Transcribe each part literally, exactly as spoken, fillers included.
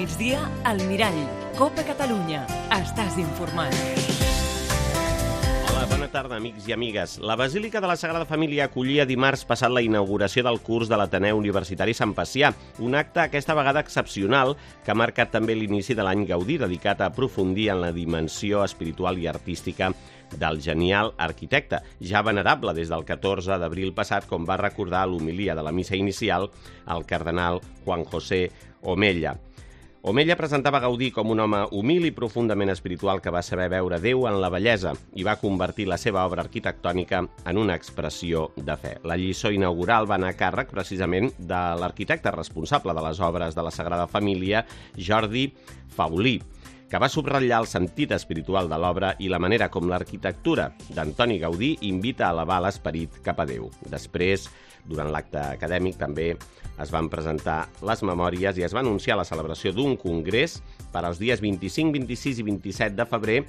migdia, al Mirall. Copa Catalunya. Estàs informat. Hola, bona tarda, amics i amigues. La Basílica de la Sagrada Família acollia dimarts passat la inauguració del curs de l'Ateneu Universitari Sant Pacià, un acte aquesta vegada excepcional que ha marcat també l'inici de l'any Gaudí, dedicat a aprofundir en la dimensió espiritual i artística del genial arquitecte, ja venerable des del catorze d'abril passat, com va recordar a l'homilia de la missa inicial el cardenal Juan José Omella. Omella presentava Gaudí com un home humil i profundament espiritual que va saber veure Déu en la bellesa i va convertir la seva obra arquitectònica en una expressió de fe. La lliçó inaugural va anar a càrrec precisament de l'arquitecte responsable de les obres de la Sagrada Família, Jordi Faulí, que va subratllar el sentit espiritual de l'obra i la manera com l'arquitectura d'Antoni Gaudí invita a elevar l'esperit cap a Déu. Després, durant l'acte acadèmic, també es van presentar les memòries i es va anunciar la celebració d'un congrés per als dies vint-i-cinc, vint-i-sis i vint-i-set de febrer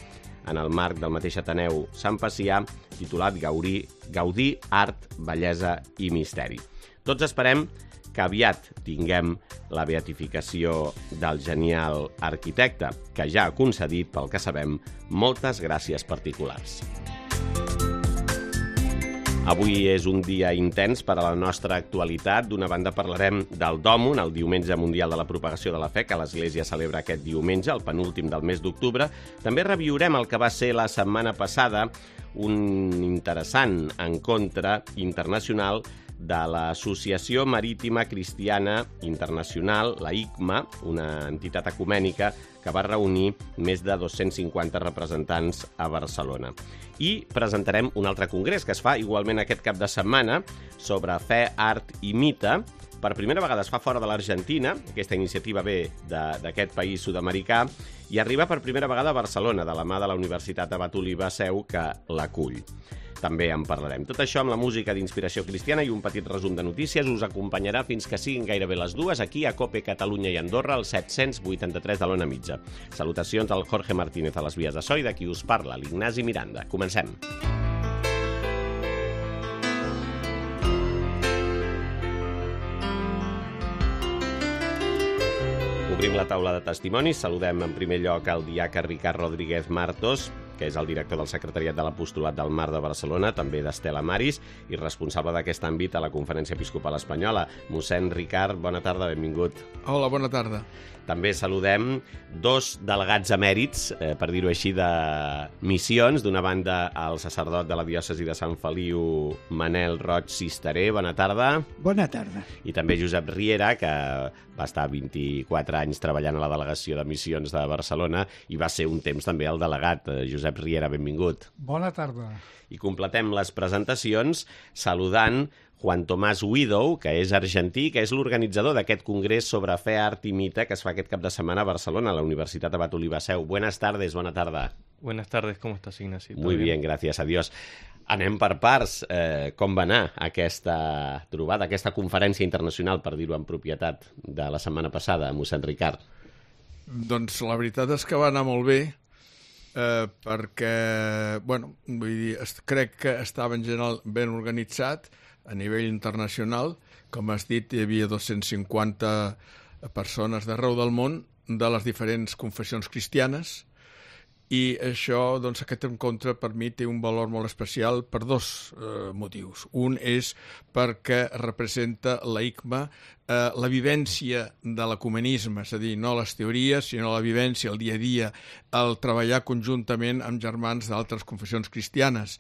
en el marc del mateix Ateneu Sant Pacià, titulat Gaudí, Gaudí, Art, Bellesa i Misteri. Tots esperem que aviat tinguem la beatificació del genial arquitecte, que ja ha concedit, pel que sabem, moltes gràcies particulars. Avui és un dia intens per a la nostra actualitat. D'una banda parlarem del Dòmun, el Diumenge Mundial de la Propagació de la Fe, que l'Església celebra aquest diumenge, el penúltim del mes d'octubre. També reviurem el que va ser la setmana passada un interessant encontre internacional de l'Associació Marítima Cristiana Internacional, la I C M A, una entitat ecumènica que va reunir més de dos-cents cinquanta representants a Barcelona. I presentarem un altre congrés que es fa igualment aquest cap de setmana sobre fe, art i mite. Per primera vegada es fa fora de l'Argentina, aquesta iniciativa ve d'aquest país sud-americà, i arriba per primera vegada a Barcelona, de la mà de la Universitat Abat Oliba Seu, que l'acull. També en parlarem. Tot això amb la música d'inspiració cristiana i un petit resum de notícies us acompanyarà fins que siguin gairebé les dues aquí a Cope Catalunya i Andorra, al set-cents vuitanta-tres de l'Ona Mitja. Salutacions al Jorge Martínez a les vies de so i de qui us parla, l'Ignasi Miranda. Comencem. Obrim la taula de testimonis. Saludem en primer lloc al diaca Ricard Rodríguez Martos, que és el director del Secretariat de l'Apostolat del Mar de Barcelona, també d'Estela Maris, i responsable d'aquest àmbit a la Conferència Episcopal Espanyola. Mossèn Ricard, bona tarda, benvingut. Hola, bona tarda. També saludem dos delegats emèrits, eh, per dir-ho així, de missions. D'una banda, el sacerdot de la diòcesi de Sant Feliu, Manel Roig Cisteré. Bona tarda. Bona tarda. I també Josep Riera, que va estar vint-i-quatre anys treballant a la delegació de missions de Barcelona i va ser un temps també el delegat. Josep Riera, benvingut. Bona tarda. I completem les presentacions saludant Juan Tomás Widow, que és argentí, que és l'organitzador d'aquest congrés sobre fe, art i mite que es fa aquest cap de setmana a Barcelona, a la Universitat Abat Oliba Seu. Buenas tardes, bona tarda. Buenas tardes, ¿cómo estás, Ignacio? Muy bien, gracias a Dios. Anem per parts. Eh, com va anar aquesta trobada, aquesta conferència internacional, per dir-ho en propietat, de la setmana passada, mossèn Ricard? Doncs la veritat és que va anar molt bé, eh, perquè, bueno, vull dir, crec que estava en general ben organitzat a nivell internacional. Com has dit, hi havia dos-cents cinquanta persones d'arreu del món, de les diferents confessions cristianes, i això, doncs, aquest encontre per mi té un valor molt especial per dos eh, motius. Un és perquè representa la I C M A eh, la vivència de l'ecumenisme, és a dir, no les teories, sinó la vivència, el dia a dia, el treballar conjuntament amb germans d'altres confessions cristianes.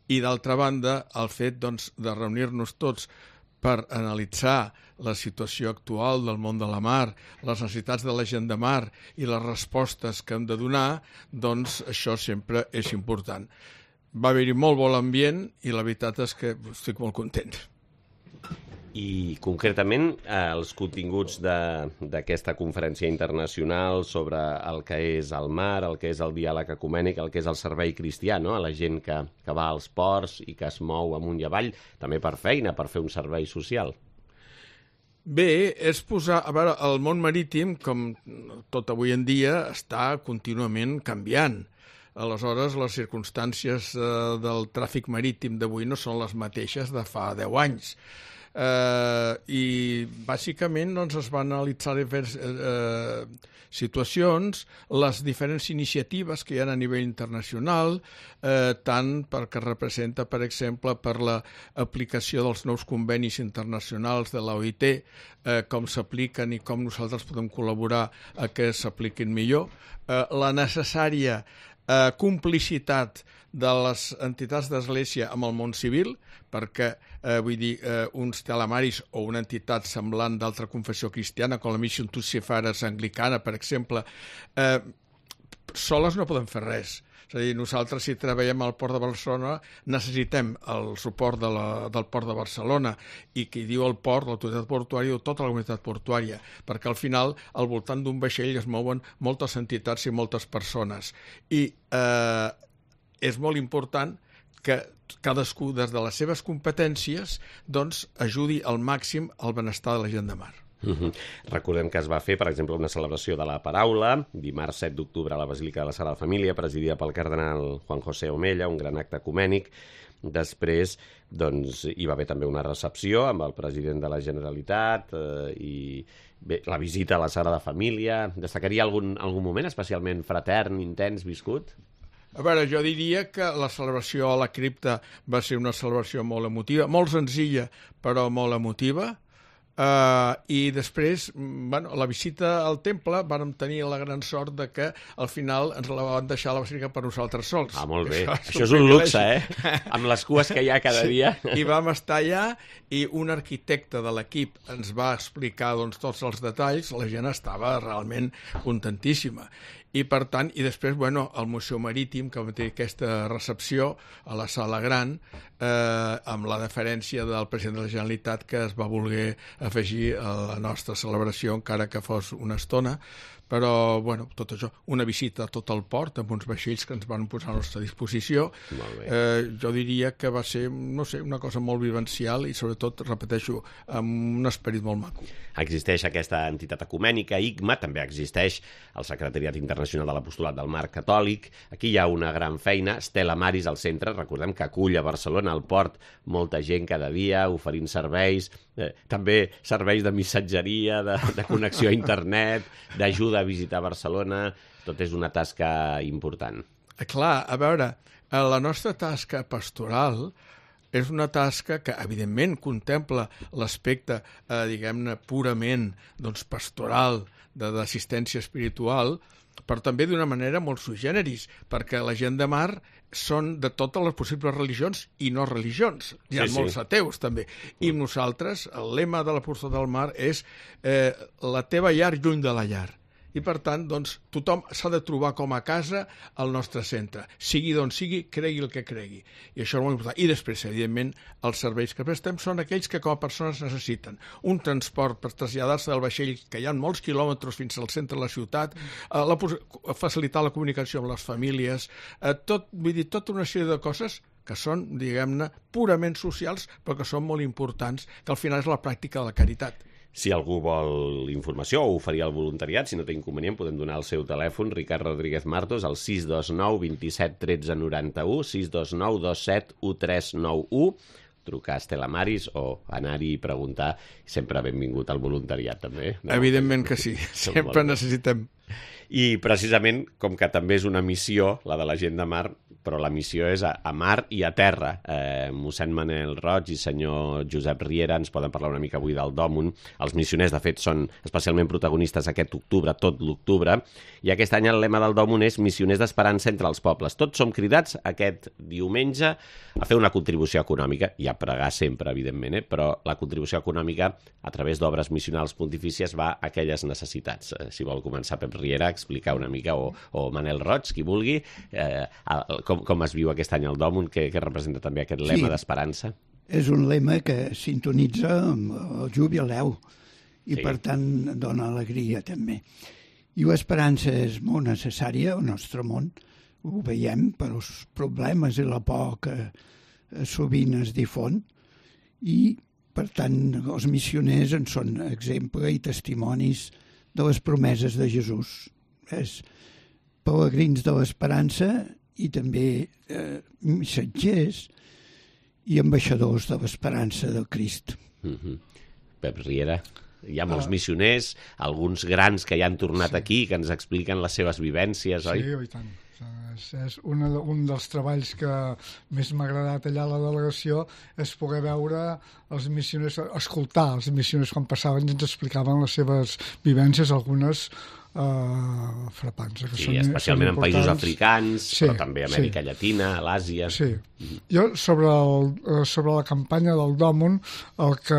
I, d'altra banda, el fet, doncs, de reunir-nos tots per analitzar la situació actual del món de la mar, les necessitats de la gent de mar i les respostes que hem de donar, doncs això sempre és important. Va haver-hi molt bon ambient i la veritat és que estic molt content. I concretament els continguts d'aquesta conferència internacional sobre el que és el mar, el que és el diàleg ecumènic, el que és el servei cristià, no? A la gent que, que va als ports i que es mou amunt i avall, també per feina, per fer un servei social. Bé, és posar... A veure, el món marítim, com tot avui en dia, està contínuament canviant. Aleshores, les circumstàncies eh, del tràfic marítim d'avui no són les mateixes de fa deu anys. Eh, I dir, bàsicament doncs, es van analitzar diferents eh, situacions, les diferents iniciatives que hi ha a nivell internacional, eh, tant perquè representa, per exemple, per l'aplicació dels nous convenis internacionals de l'O I T, eh, com s'apliquen i com nosaltres podem col·laborar a que s'apliquin millor, eh, la necessària eh, complicitat de les entitats d'església amb el món civil, perquè, eh, vull dir, eh, uns telemaris o una entitat semblant d'altra confessió cristiana, com la Mission to Sefares anglicana, per exemple, eh, soles no podem fer res. És a dir, nosaltres, si treballem al Port de Barcelona, necessitem el suport de la, del Port de Barcelona, i qui diu el port, l'autoritat portuària, diu tota la comunitat portuària, perquè al final, al voltant d'un vaixell es mouen moltes entitats i moltes persones. I eh, és molt important que cadascú, des de les seves competències, doncs, ajudi al màxim al benestar de la gent de mar. Uh-huh. Recordem que es va fer, per exemple, una celebració de la paraula, dimarts set d'octubre a la Basílica de la Sagrada Família, presidida pel cardenal Juan José Omella, un gran acte ecumènic. Després doncs, hi va haver també una recepció amb el president de la Generalitat eh, i bé, la visita a la Sagrada Família. Destacaria algun, algun moment especialment fratern, intens, viscut? A veure, jo diria que la celebració a la cripta va ser una celebració molt emotiva, molt senzilla, però molt emotiva. Uh, I després, bueno, la visita al temple vàrem tenir la gran sort de que al final ens la van deixar a la basílica per nosaltres sols. Ah, molt bé. Això, Això és un luxe, eh? Amb les cues que hi ha cada dia. Sí. I vam estar allà i un arquitecte de l'equip ens va explicar doncs, tots els detalls. La gent estava realment contentíssima. I per tant, i després, bueno, el Museu Marítim, que va tenir aquesta recepció a la Sala Gran, eh, amb la deferència del president de la Generalitat, que es va voler afegir a la nostra celebració, encara que fos una estona. Però, bueno, tot això, una visita a tot el port, amb uns vaixells que ens van posar a la nostra disposició. Eh, jo diria que va ser, no sé, una cosa molt vivencial i, sobretot, repeteixo, amb un esperit molt maco. Existeix aquesta entitat ecumènica, I C M A, també existeix el Secretariat Internacional de l'Apostolat del Mar Catòlic. Aquí hi ha una gran feina, Stella Maris al centre, recordem que acull a Barcelona, al port, molta gent cada dia, oferint serveis, eh, també serveis de missatgeria, de, de connexió a internet, d'ajuda a visitar Barcelona. Tot és una tasca important. Clar, a veure, la nostra tasca pastoral és una tasca que, evidentment, contempla l'aspecte, eh, diguem-ne, purament doncs, pastoral, d'assistència espiritual, però també d'una manera molt sui generis, perquè la gent de mar són de totes les possibles religions i no religions. Hi ha sí, molts sí. ateus, també. I nosaltres, el lema de l'Apostolat del Mar és eh, la teva llar lluny de la llar. I, per tant, doncs, tothom s'ha de trobar com a casa al nostre centre. Sigui d'on sigui, cregui el que cregui. I això és molt important. I després, evidentment, els serveis que prestem són aquells que com a persones necessiten. Un transport per traslladar-se del vaixell, que hi ha molts quilòmetres fins al centre de la ciutat, eh, la, facilitar la comunicació amb les famílies, eh, tot, vull dir, tota una sèrie de coses que són, diguem-ne, purament socials, però que són molt importants, que al final és la pràctica de la caritat. Si algú vol informació o oferir el voluntariat, si no té inconvenient, podem donar el seu telèfon, Ricard Rodríguez Martos, al sis dos nou vint set tretze noranta-u, sis dos nou dos set u tres nou u, trucar a Stella Maris o anar-hi i preguntar. Sempre benvingut al voluntariat, també. No? Evidentment que sí, sempre necessitem. I precisament, com que també és una missió, la de la gent de mar, però la missió és a, a mar i a terra. Eh, mossèn Manel Roig i senyor Josep Riera ens poden parlar una mica avui del Dòmun. Els missioners, de fet, són especialment protagonistes aquest octubre, tot l'octubre, i aquest any el lema del Dòmun és Missioners d'Esperança entre els pobles. Tots som cridats aquest diumenge a fer una contribució econòmica, i a pregar sempre, evidentment, eh? Però la contribució econòmica a través d'obres missionals pontifícies va a aquelles necessitats. Eh, si vol començar Pep Riera, explicar una mica, o, o Manel Roig, qui vulgui, eh, com, com es viu aquest any el Dòmun, que, que representa també aquest lema sí, d'esperança. És un lema que sintonitza amb el jubileu i sí. per tant dona alegria també. I l'esperança és molt necessària al nostre món, ho veiem per els problemes i la por que sovint es difon, i per tant els missioners en són exemple i testimonis de les promeses de Jesús. És pelegrins de l'esperança i també eh, missatgers i ambaixadors de l'esperança del Crist. Mm-hmm. Pep Riera. Hi ha molts missioners, alguns grans que ja han tornat Sí. aquí, que ens expliquen les seves vivències, oi? Sí, i tant. És, és una, de- un dels treballs que més m'ha agradat allà a la delegació és poder veure els missioners, escoltar els missioners quan passaven i ens explicaven les seves vivències, algunes uh, frapants. Que Sí, són, especialment són en països importants. africans, Sí, però també a Amèrica sí. Llatina, a l'Àsia. Sí. Jo, sobre, el, eh, sobre la campanya del Dòmun, el que,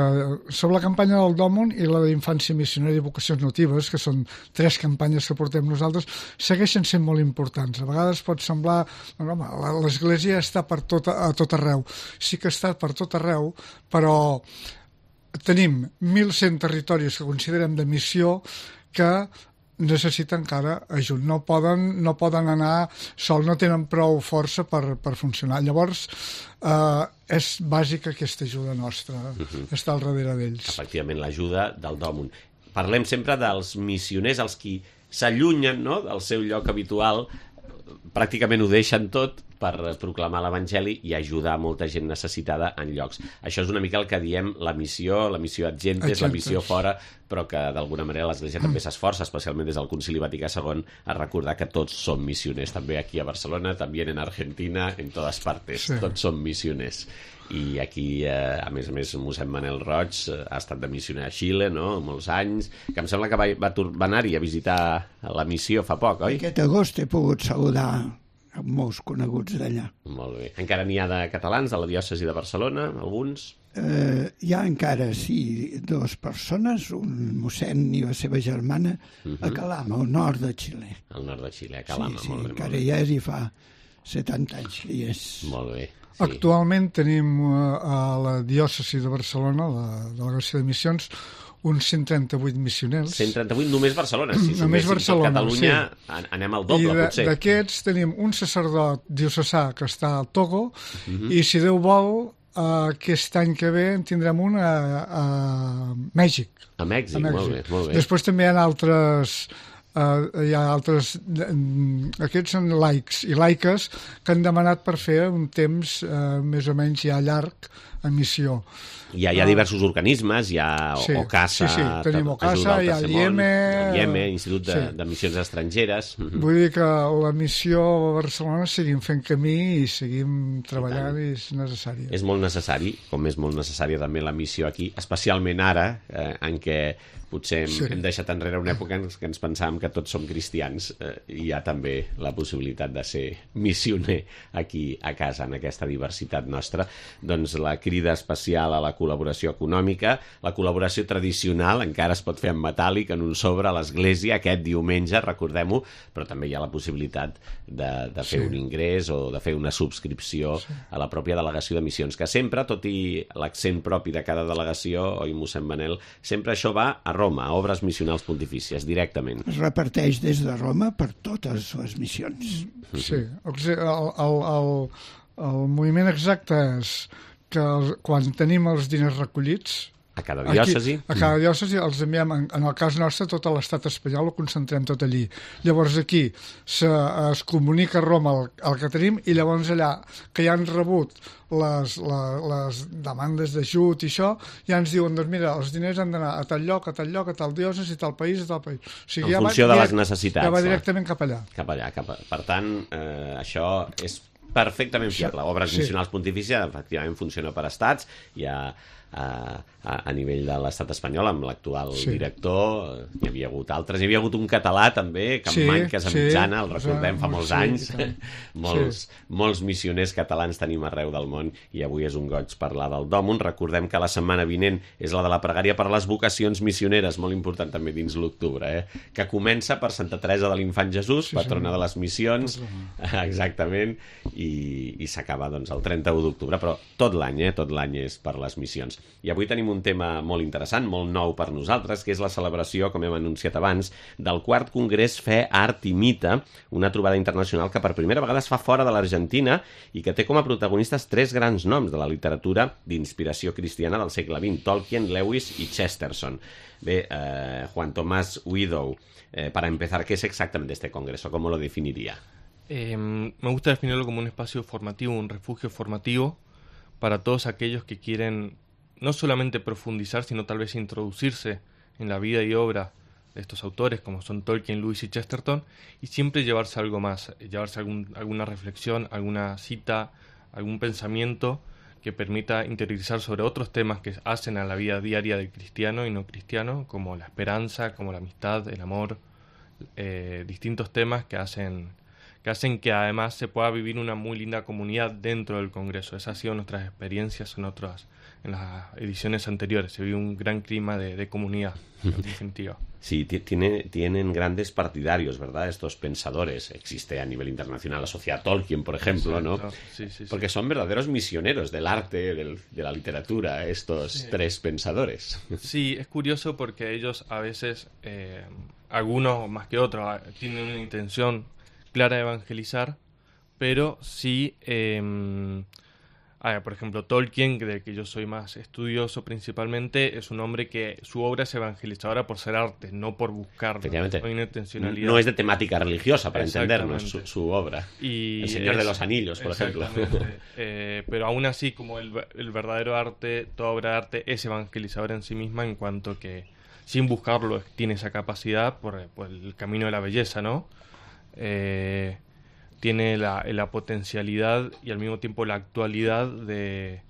sobre la campanya del Dòmun i la d'infància missionària i vocacions natives, que són tres campanyes que portem nosaltres, segueixen sent molt importants. A vegades pot semblar, no, home, la- l'Església està per tot, a tot arreu. Sí que està per tot arreu, però tenim mil cent territoris que considerem de missió que necessita encara ajut. No poden, no poden anar sol, no tenen prou força per, per funcionar. Llavors, eh, és bàsica aquesta ajuda nostra, uh-huh. estar al darrere d'ells. Efectivament, l'ajuda del Dòmun. Parlem sempre dels missioners, els qui s'allunyen, no?, del seu lloc habitual, pràcticament ho deixen tot per proclamar l'Evangeli i ajudar molta gent necessitada en llocs. Això és una mica el que diem la missió, la missió ad gentes, Exacte. la missió fora, però que d'alguna manera l'Església també s'esforça, especialment des del Concili Vaticà segon, a recordar que tots som missioners, també aquí a Barcelona, també en Argentina, en totes partes, Sí. tots som missioners. I aquí, eh, a més a més, mossèn Manel Roig eh, ha estat de missioner a Xile, no?, molts anys, que em sembla que va, va, tur- va anar-hi a visitar la missió fa poc, oi? Aquest agost he pogut saludar amb molts coneguts d'allà. Molt bé. Encara n'hi ha de catalans, de la diòcesi de Barcelona, alguns? Eh, hi ha encara, sí, dues persones, un mossèn i la seva germana, uh -huh. a Calama, al nord de Xile. Al nord de Xile, a Calama, sí, sí, molt bé. encara Molt bé. hi és i fa setanta anys que hi és. Molt bé. Sí. Actualment tenim eh, a la diòcesi de Barcelona, la delegació de missions, uns cent trenta-vuit missioners. cent trenta-vuit només Barcelona. Si Només suméssim Barcelona, tot Catalunya, sí. an- anem al doble, I de- potser. d'aquests tenim un sacerdot diocesà que està al Togo Uh -huh. i, si Déu vol, eh, aquest any que ve en tindrem un a, a Mèxic. A Mèxic, a Mèxic. molt bé, molt bé. Després també hi ha altres... Uh, hi ha altres mm, aquests són laics i laiques que han demanat per fer un temps uh, més o menys ja llarg a missió. Hi ha, hi ha diversos organismes, hi ha Sí, OCASA, sí, sí, tenim ajuda OCASA, al hi ha Tercer el Món, IEME, el IEME, Institut de, sí. de Missions Estrangeres. Mhm. Vull dir que la missió a Barcelona seguim fent camí i seguim treballant i, i és necessària. És molt necessari, com és molt necessària també la missió aquí, especialment ara, eh, en què potser hem, Sí. hem deixat enrere una època en què ens pensàvem que tots som cristians, eh, i hi ha també la possibilitat de ser missioner aquí a casa, en aquesta diversitat nostra. Doncs la crida especial a la col·laboració econòmica, la col·laboració tradicional encara es pot fer en metàl·lic, en un sobre a l'església aquest diumenge, recordem-ho, però també hi ha la possibilitat de, de fer Sí. un ingrés o de fer una subscripció sí. a la pròpia delegació de missions, que sempre, tot i l'accent propi de cada delegació, oi, mossèn Manel, sempre això va a Roma, a obres missionals pontifícies, directament. Es reparteix des de Roma per totes les missions. Sí, el, el, el, el moviment exacte és que el, quan tenim els diners recollits, A cada diòcesi. Aquí, a cada diòcesi els enviem, en, en el cas nostre, tot a l'estat espanyol ho concentrem tot allí. Llavors aquí se, es comunica a Roma el, el que tenim i llavors allà, que ja han rebut les, les, les demandes d'ajut i això, ja ens diuen, doncs mira, els diners han d'anar a tal lloc, a tal lloc, a tal diòcesi, a tal país, a tal país. O sigui, En ja funció va, de direct, les necessitats, Ja va clar. directament cap allà. Cap allà, cap a... Per tant, eh, això és perfectament fiable. Obres Sí. missionals pontifícies, efectivament, funciona per estats. Hi ha a, a, a nivell de l'estat espanyol, amb l'actual Sí. director, hi havia hagut altres. Hi havia hagut un català, també, que Sí, en Manques, a sí, Mitjana, el recordem fa sí, molts sí, anys. i tant. molts, Sí. molts missioners catalans tenim arreu del món i avui és un goig parlar del Dòmun. Recordem que la setmana vinent és la de la pregària per les vocacions missioneres, molt important també dins l'octubre, eh? que comença per Santa Teresa de l'Infant Jesús, Sí, patrona senyor. de les missions, exactament, i, i s'acaba doncs, el trenta-u d'octubre, però tot l'any, eh? tot l'any és per les missions. I avui tenim un tema molt interessant, molt nou per nosaltres, que és la celebració, com hem anunciat abans, del quart Congrés Fe, Art i Mite, una trobada internacional que per primera vegada es fa fora de l'Argentina i que té com a protagonistes tres grans noms de la literatura d'inspiració cristiana del segle vint, Tolkien, Lewis y Chesterton. Bé, eh, Juan Tomás Widow, eh, para empezar, ¿qué es exactamente este congreso? ¿Cómo lo definiría? Eh, me gusta definirlo como un espacio formativo, un refugio formativo para todos aquellos que quieren no solamente profundizar, sino tal vez introducirse en la vida y obra de estos autores, como son Tolkien, Lewis y Chesterton, y siempre llevarse algo más, llevarse algún, alguna reflexión, alguna cita, algún pensamiento que permita interiorizar sobre otros temas que hacen a la vida diaria del cristiano y no cristiano, como la esperanza, como la amistad, el amor, eh, distintos temas que hacen, que hacen que además se pueda vivir una muy linda comunidad dentro del Congreso. Esas han sido nuestras experiencias en otras, en las ediciones anteriores. Se vive un gran clima de, de comunidad, en definitiva. Sí, tiene, tienen grandes partidarios, ¿verdad? Estos pensadores. Existe a nivel internacional la Sociedad Tolkien, por ejemplo, ¿no? Sí, sí, Porque sí. son verdaderos misioneros del arte, del, de la literatura, estos Sí. tres pensadores. Sí, es curioso porque ellos a veces, eh, algunos más que otros, tienen una intención clara de evangelizar, pero sí, eh, a ver, por ejemplo, Tolkien, del que yo soy más estudioso principalmente, es un hombre que su obra es evangelizadora por ser arte, no por buscarlo. Efectivamente. No hay una intencionalidad. No es de temática religiosa, para entendernos, su, Exactamente. su obra. Y El Señor de es- los Anillos, por ejemplo. exactamente. Eh, pero aún así, como el, el verdadero arte, toda obra de arte es evangelizadora en sí misma, en cuanto que sin buscarlo tiene esa capacidad por, por el camino de la belleza, ¿no? Eh, tiene la, la potencialidad y al mismo tiempo la actualidad de,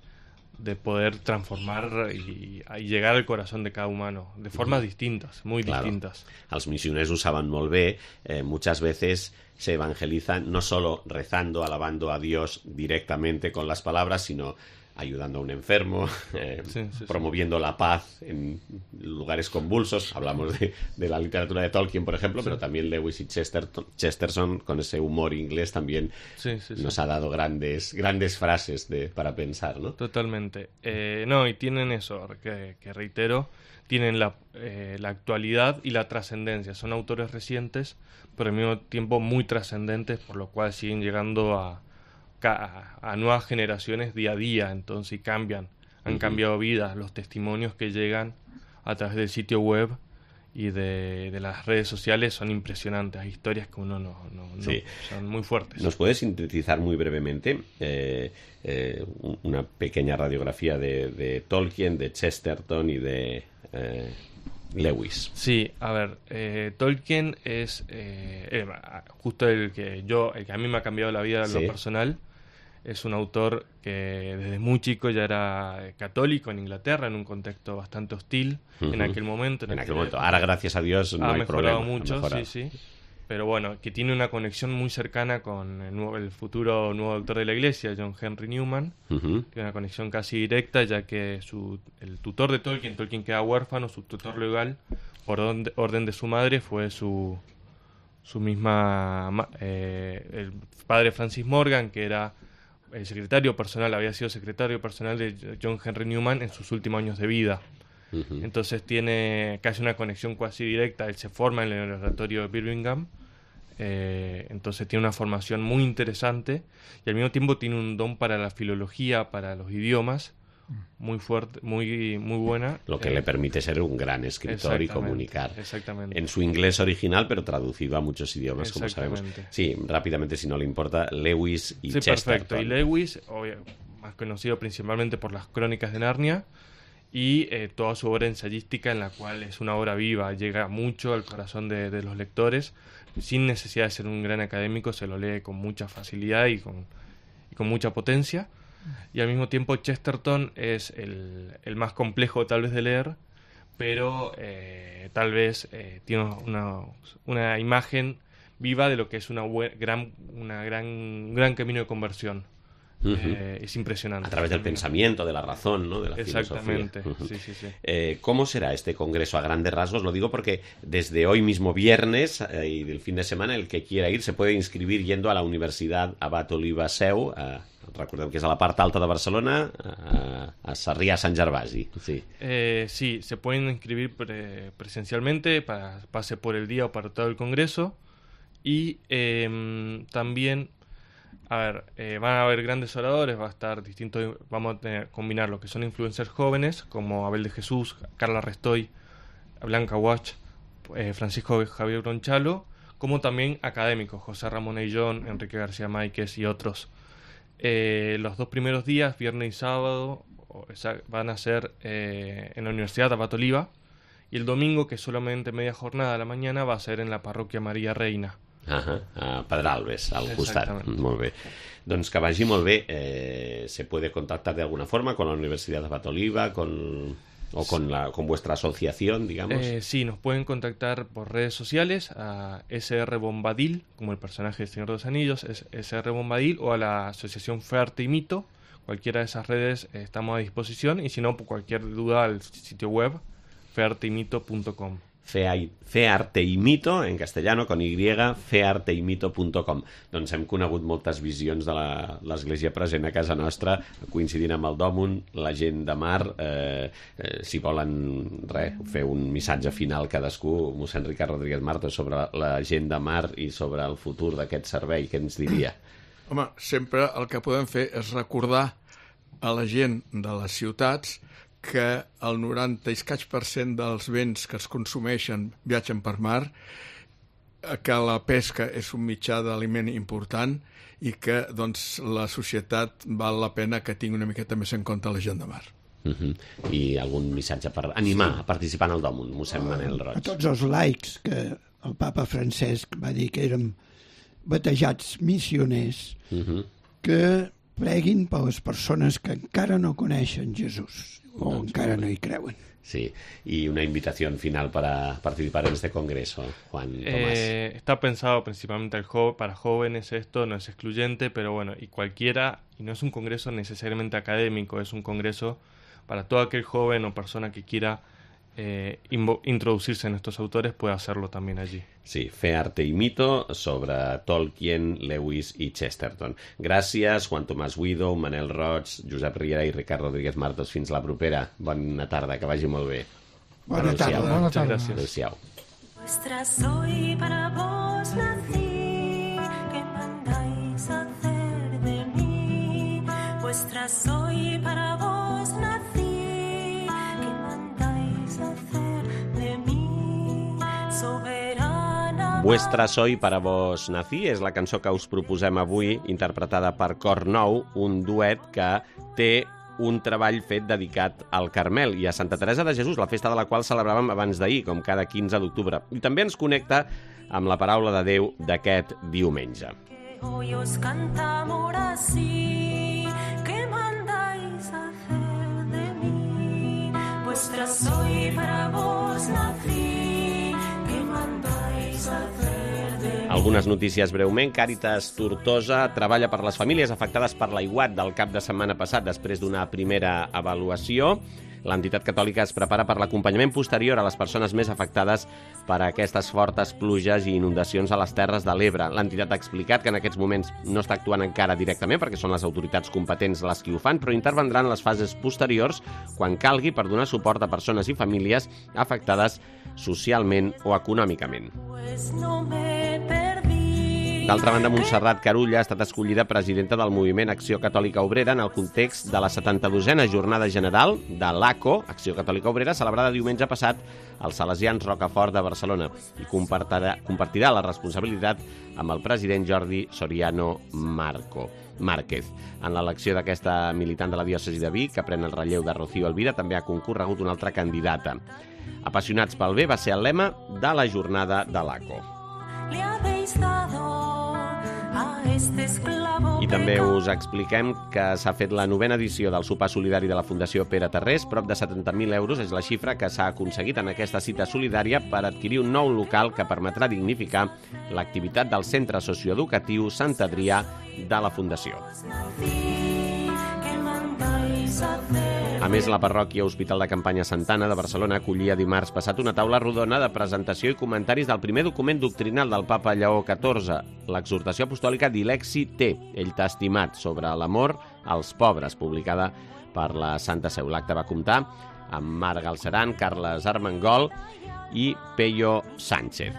de poder transformar y, y llegar al corazón de cada humano de formas distintas, muy Claro. distintas. Els missioners ho saben molt bé. Eh, muchas veces se evangelizan no solo rezando, alabando a Dios directamente con las palabras, sino ayudando a un enfermo, eh, Sí, sí, sí. promoviendo la paz en lugares convulsos. Hablamos de, de la literatura de Tolkien, por ejemplo, pero también Lewis y Chesterton, Chesterton, con ese humor inglés, también Sí, sí, sí. nos ha dado grandes, grandes frases de, para pensar, ¿no? Totalmente. Eh, no, y tienen eso, que, que reitero, tienen la, eh, la actualidad y la trascendencia. Son autores recientes, pero al mismo tiempo muy trascendentes, por lo cual siguen llegando a, a, a nuevas generaciones día a día, entonces y cambian, han Ujú. cambiado vidas. Los testimonios que llegan a través del sitio web y de, de las redes sociales son impresionantes. Hay historias que uno no, no, no- Sí. son muy fuertes. ¿Nos puedes sintetizar muy brevemente eh, eh, un- una pequeña radiografía de, de Tolkien, de Chesterton y de eh, Lewis? Sí, a ver, eh, Tolkien es eh, eh, justo el que yo, el que a mí me ha cambiado la vida en Sí. lo personal. Es un autor que desde muy chico ya era eh, católico en Inglaterra, en un contexto bastante hostil en Ujú. aquel momento. En aquel aquella momento. época. Ahora, gracias a Dios, no ha hay mejorado problema. ha mucho, mejorado. sí, sí. Pero bueno, que tiene una conexión muy cercana con el, nuevo- el futuro nuevo doctor de la Iglesia, John Henry Newman. Ujú. Tiene una conexión casi directa, ya que su, el tutor de Tolkien, Tolkien queda huérfano, su tutor legal, por orden de, orden de su madre, fue su, su misma... ma- eh, el padre Francis Morgan, que era el secretario personal, había sido secretario personal de John Henry Newman en sus últimos años de vida. Ujú. Entonces tiene casi una conexión casi directa. Él se forma en el oratorio de Birmingham. Eh, entonces tiene una formación muy interesante y al mismo tiempo tiene un don para la filología, para los idiomas, muy fuerte, muy, muy buena. Lo que Eh, le permite ser un gran escritor y exactamente, comunicar. Exactamente. En su inglés original, pero traducido a muchos idiomas, como sabemos. Exactamente. Sí, rápidamente, si no le importa, Lewis y Sí, Chesterton. perfecto. Y Lewis, obvio, más conocido principalmente por las Crónicas de Narnia y eh, toda su obra ensayística, en la cual es una obra viva, llega mucho al corazón de, de los lectores, sin necesidad de ser un gran académico, se lo lee con mucha facilidad y con, y con mucha potencia. Y al mismo tiempo Chesterton es el, el más complejo tal vez de leer, pero eh, tal vez eh, tiene una, una imagen viva de lo que es una bue- gran, una gran, un gran camino de conversión. Ujú. Eh, es impresionante. A través del pensamiento, de la razón, ¿no? De la Exactamente, filosofía. Ujú. sí, sí, sí. Eh, ¿Cómo será este congreso a grandes rasgos? Lo digo porque desde hoy mismo viernes eh, y del fin de semana, el que quiera ir se puede inscribir yendo a la Universidad Abat Oliba Seu, a, recordem que és a la part alta de Barcelona, a, a Sarrià Sant Gervasi. Sí. Eh, sí, se pueden inscribir pre- presencialmente, para pase por el día o para todo el congreso. Y eh, también, a ver, eh, van a haber grandes oradores, va a estar distinto, vamos a tener, combinar lo que son influencers jóvenes, como Abel de Jesús, Carla Restoy, Blanca Watch, eh, Francisco Javier Bronchalo, como también académicos, José Ramón Ayllón, Enrique García Máiquez y otros. Eh, los dos primeros días, viernes y sábado, o esa, van a ser eh, en la Universidad de Abat Oliva, y el domingo, que es solamente media jornada a la mañana, va a ser en la parroquia Maria Reina. Ah, a Pedralbes, al costat. Molt bé. Doncs que vagi molt bé. Eh, ¿Se puede contactar de alguna forma con la Universidad de Abat Oliva, con, o con, la, con vuestra asociación, digamos? Eh, sí, nos pueden contactar por redes sociales a S R Bombadil, como el personaje del Señor de los Anillos, es S R Bombadil, o a la asociación Fe, Arte y Mito. Cualquiera de esas redes eh, estamos a disposición, y si no, por cualquier duda, al sitio web fe arte y mito punto com. Fe, fe Arte y Mito, en castellano, con Y, fe arte y mito punto com. Doncs hem conegut moltes visions de l'Església present a casa nostra, coincidint amb el Dòmun, la gent de mar. Eh, eh, si volen re, fer un missatge final cadascú, mossèn Ricard Rodríguez Martos, sobre la gent de mar i sobre el futur d'aquest servei, què ens diria? Home, sempre el que podem fer és recordar a la gent de les ciutats que el noranta i escaig per cent dels béns que es consumeixen viatgen per mar, que la pesca és un mitjà d'aliment important i que doncs, la societat val la pena que tingui una miqueta més en compte la gent de mar. Uh-huh. I algun missatge per animar a participar en el Dòmun, mossèn Manel Roig? A tots els laics, que el papa Francesc va dir que érem batejats missioners, uh-huh. que preguin per les persones que encara no coneixen Jesús o doncs encara no hi creuen. Sí, y una invitación final para participar en este congreso, Juan Tomás. Eh, está pensado principalmente al jo- para jóvenes, esto no es excluyente, pero bueno, y cualquiera, y no es un congreso necesariamente académico, es un congreso para todo aquel joven o persona que quiera eh, invo- introducirse en estos autores, puede hacerlo también allí. Sí, Fe, Arte y Mito sobre Tolkien, Lewis i Chesterton. Gràcies, Juan Tomàs Guido, Manel Roig, Josep Riera i Ricard Rodríguez Martos. Fins la propera. Bona tarda, que vagi molt bé. Bona tarda. Bona tarda. Adéu-siau. Vuestra soy, para vos nací, ¿qué mandáis hacer de mí? Vuestra soy, para vos nací, ¿qué mandáis hacer de mí? Soberana. Vuestra soy para vos nací és la cançó que us proposem avui, interpretada per Cor Nou, un duet que té un treball fet dedicat al Carmel i a Santa Teresa de Jesús, la festa de la qual celebràvem abans d'ahir, com cada quinze d'octubre. I també ens connecta amb la paraula de Déu d'aquest diumenge. Hoy os cantamos así, ¿qué mandáis hacer de mí? Vuestra soy, para vos nací, ¿qué mandáis hacer de mí? Algunes notícies breument. Càritas Tortosa treballa per les famílies afectades per l'aiguat del cap de setmana passat després d'una primera avaluació. L'entitat catòlica es prepara per l'acompanyament posterior a les persones més afectades per aquestes fortes pluges i inundacions a les Terres de l'Ebre. L'entitat ha explicat que en aquests moments no està actuant encara directament perquè són les autoritats competents les que ho fan, però intervendran en les fases posteriors quan calgui per donar suport a persones i famílies afectades socialment o econòmicament. Pues no me perdí. D'altra banda, Montserrat Carulla ha estat escollida presidenta del moviment Acció Catòlica Obrera en el context de la setanta-dosena Jornada General de l'A C O, Acció Catòlica Obrera, celebrada diumenge passat als Salesians Rocafort de Barcelona, i compartirà, compartirà la responsabilitat amb el president Jordi Soriano Marco. Márquez. En l'elecció d'aquesta militant de la diòcesi de Vic, que pren el relleu de Rocío Elvira, també ha concorregut una altra candidata. Apassionats pel bé va ser el lema de la jornada de l'A C O. Le habéis dado a este esclavo. I també us expliquem que s'ha fet la novena edició del sopar solidari de la Fundació Pere Tarrés. Prop de setanta mil euros és la xifra que s'ha aconseguit en aquesta cita solidària per adquirir un nou local que permetrà dignificar l'activitat del centre socioeducatiu Sant Adrià de la Fundació. A més, la parròquia Hospital de Campanya Santana de Barcelona acollia dimarts passat una taula rodona de presentació i comentaris del primer document doctrinal del papa Lleó catorze, l'exhortació apostòlica Dilexi Te, ell t'ha estimat, sobre l'amor als pobres, publicada per la Santa Seu. L'acte va comptar amb Marc Galceran, Carles Armengol i Peyo Sánchez.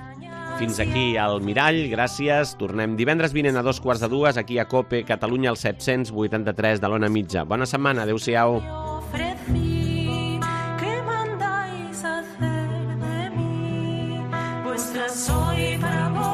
Fins aquí el Mirall, gràcies. Tornem divendres vinent a dos quarts de dues aquí a COPE Catalunya, al set-cents vuitanta-tres de l'Ona Mitja. Bona setmana, adéu-siau. Ofrecí, ¿qué mandáis hacer de mí? Vuestra soy, para vos